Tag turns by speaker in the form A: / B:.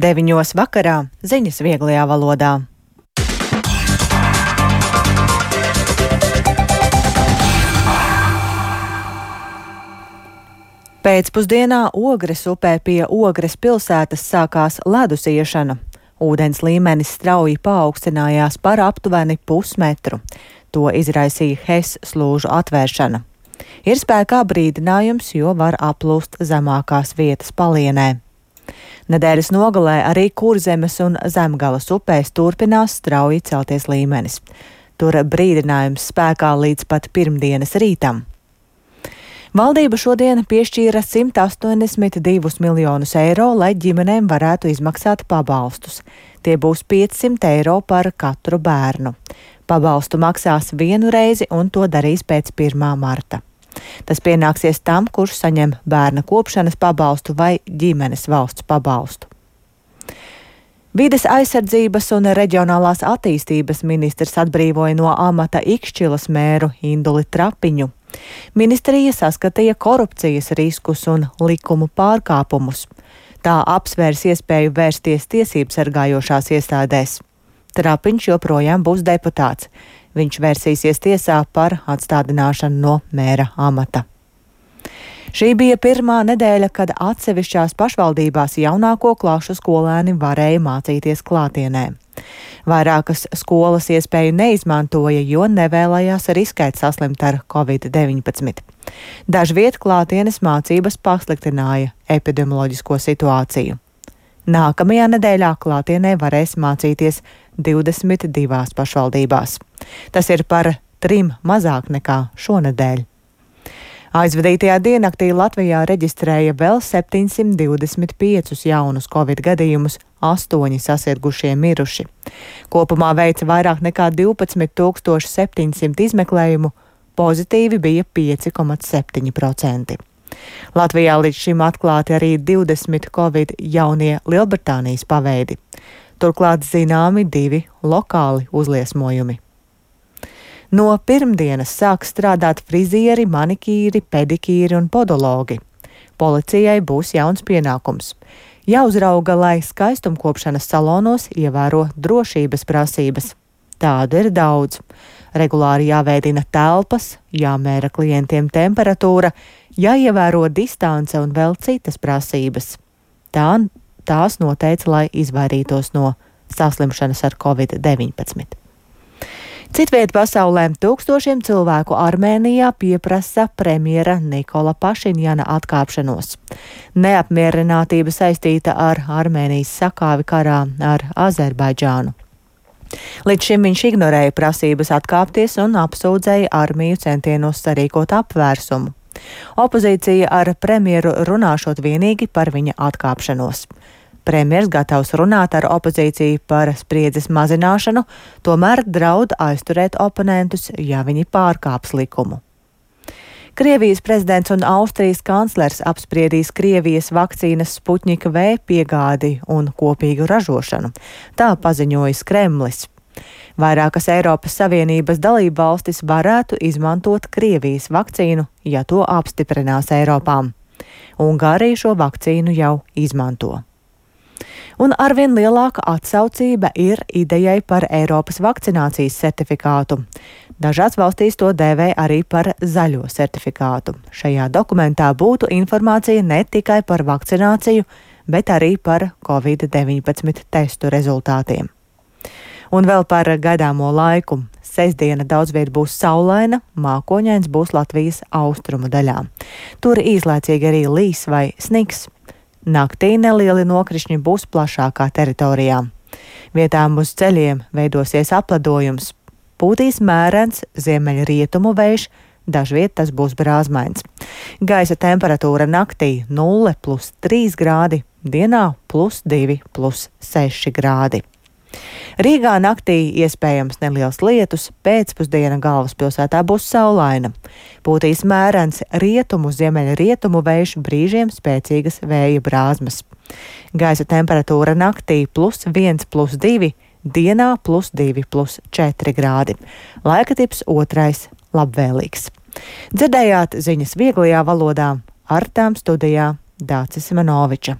A: 9 vakarā ziņas vieglajā valodā. Pēcpusdienā Ogres upē pie Ogres pilsētas sākās ledus iešana. Ūdens līmenis strauji paaugstinājās par aptuveni pusmetru. To izraisīja HES slūžu atvēršana. Ir spēkā brīdinājums, jo var aplūst zemākās vietas palienē. Nedēļas nogalē arī Kurzemes un Zemgalas upēs turpinās strauji celties līmenis. Tur brīdinājums spēkā līdz pat pirmdienas rītam. Valdība šodien piešķīra 182 miljonus eiro, lai ģimenēm varētu izmaksāt pabalstus. Tie būs 500 eiro par katru bērnu. Pabalstu maksās vienu reizi un to darīs pēc 1. marta. Tas pienāksies tam, kurš saņem bērna kopšanas pabalstu vai ģimenes valsts pabalstu. Vides aizsardzības un reģionālās attīstības ministrs atbrīvoja no amata Ikšķilas mēru Induli Trapiņu. Ministrija saskatīja korupcijas riskus un likumu pārkāpumus. Tā apsvērs iespēju vērsties tiesību sargājošās iestādēs. Trapiņš joprojām būs deputāts. Viņš vērsīsies tiesā par atstādināšanu no mēra amata. Šī bija pirmā nedēļa, kad atsevišķās pašvaldībās jaunāko klašu skolēni varēja mācīties klātienē. Vairākas skolas iespēju neizmantoja, jo nevēlējās riskēt saslimt ar Covid-19. Dažviet klātienes mācības pasliktināja epidemioloģisko situāciju. Nākamajā nedēļā klātienē varēs mācīties 22 pašvaldībās. Tas ir par 3 mazāk nekā šonedēļ. Aizvadītajā diennaktī Latvijā reģistrēja vēl 725 jaunus Covid gadījumus, 8 sasirgušie miruši. Kopumā veica vairāk nekā 12 700 izmeklējumu, pozitīvi bija 5,7%. Latvijā līdz šim atklāti arī 20 Covid jaunie Lielbritānijas paveidi. Turklāt zināmi 2 lokāli uzliesmojumi. No pirmdienas sāk strādāt frizieri, manikīri, pedikīri un podologi. Policijai būs jauns pienākums. Jāuzrauga, lai skaistumkopšanas salonos ievēro drošības prasības. Tādu ir daudz. Regulāri jāveidina telpas, jāmēra klientiem temperatūra, jāievēro distance un vēl citas prasības. Tās noteica, lai izvairītos no saslimšanas ar Covid-19. Citviet pasaulē tūkstošiem cilvēku Armēnijā pieprasa premjera Nikola Pašinjana atkāpšanos. Neapmierinātība saistīta ar Armēnijas sakāvi karā ar Azerbaidžānu. Līdz šim viņš ignorēja prasības atkāpties un apsūdzēja armiju centienos sarīkot apvērsumu. Opozīcija ar premjeru runāšot vienīgi par viņa atkāpšanos. Premjers gatavs runāt ar opozīciju par spriedzes mazināšanu, tomēr draud aizturēt oponentus, ja viņi pārkāps likumu. Krievijas prezidents un Austrijas kanclers apspriedīs Krievijas vakcīnas Sputņika V piegādi un kopīgu ražošanu. Tā paziņojis Kremlis. Vairākas Eiropas Savienības dalību valstis varētu izmantot Krievijas vakcīnu, ja to apstiprinās Eiropā. Ungārija šo vakcīnu jau izmanto. Un arvien lielāka atsaucība ir idejai par Eiropas vakcinācijas certifikātu. Dažās valstīs to dēvē arī par zaļo certifikātu. Šajā dokumentā būtu informācija ne tikai par vakcināciju, bet arī par Covid-19 testu rezultātiem. Un vēl par gaidāmo laiku. Sestdiena daudzviet būs saulaina, mākoņains būs Latvijas austrumu daļā. Tur īslaicīgi arī līs vai sniks. Naktī nelieli nokrišņi būs plašākā teritorijā. Vietām uz ceļiem veidosies apledojums. Pūtīs mērens ziemeļrietumu vējš, dažviet tas būs brāzmains. Gaisa temperatūra naktī 0+3 grādi, dienā +2+6 grādi. Rīgā naktī iespējams neliels lietus, pēcpusdiena galvaspilsētā būs saulaina. Pūtīs mērens rietumu, ziemeļrietumu vējš, brīžiem spēcīgas vēja brāzmas. Gaisa temperatūra naktī +1+2, dienā +2+4 grādi. Laika tips 2. labvēlīgs. Dzirdējāt ziņas vieglajā valodā, ar tām studijā Dācis Manoviča.